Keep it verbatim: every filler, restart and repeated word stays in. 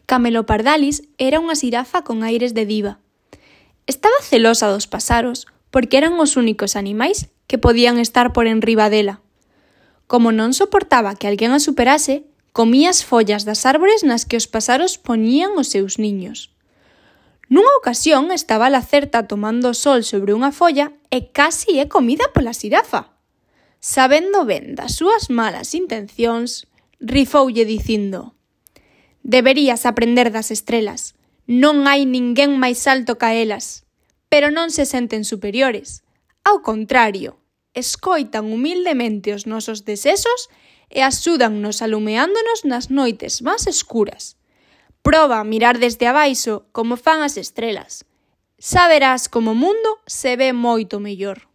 Camelopardalis era unha xirafa con aires de diva. Estaba celosa dos paxaros porque eran os únicos animais que podían estar por enriba dela. Como non soportaba que alguén a superase, comía as follas das árbores nas que os paxaros poñían os seus niños. Nunha ocasión estaba a Lacerta tomando o sol sobre unha folla e casi é comida pola xirafa. Sabendo ben das súas malas intencións, rifoulle dicindo: «Deberías aprender das estrelas. Non hai ninguén máis alto ca elas, pero non se senten superiores. Ao contrario, escoitan humildemente os nosos desesos e axúdannos alumeándonos nas noites máis escuras. Proba a mirar desde abaixo como fan as estrelas. Xa verás como o mundo se ve moito mellor».